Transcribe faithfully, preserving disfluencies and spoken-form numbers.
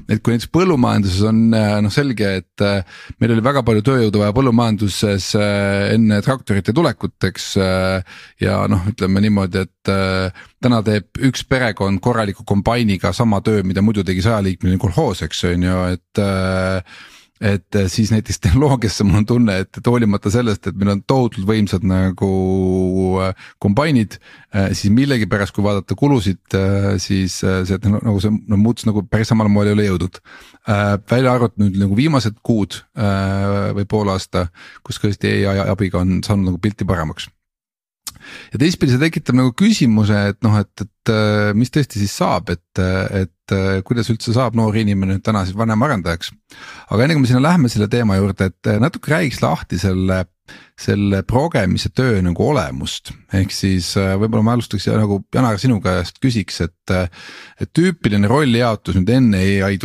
et kui näiteks põllumajanduses on noh selge, et meil oli väga palju tööjõudu vaja põllumajanduses enne traktorite tulekuteks ja noh, ütleme niimoodi, et täna teeb üks perekond korraliku kombainiga sama töö, mida muidu tegi sajaliikmeline kolhoos, eks on ju, et et siis näiteks tehnoloogiasse mul on tunne, et hoolimata sellest, et meil on tohutult võimsad nagu kombainid, siis millegi pärast, kui vaadata kulusid, siis see nagu see no, muutus nagu päris samal moel ei ole jõudnud. Välja arvatud nüüd nagu viimased kuud või pool aasta, kus tõesti A I abiga on saanud nagu pilti paremaks. Ja teistpidi see tekitab nagu küsimuse, et noh, et, et mis tõesti siis saab, et, et kuidas üldse saab noor inimene täna siis vanem arendajaks. Aga enne kui me sinna lähme selle teema juurde, et natuke räägiks lahti selle, selle progemise töö nagu olemust. Ehk siis võib-olla ma alustaks ja nagu Janar sinu käest küsiks, et, et tüüpiline rollijaotus nüüd enne A I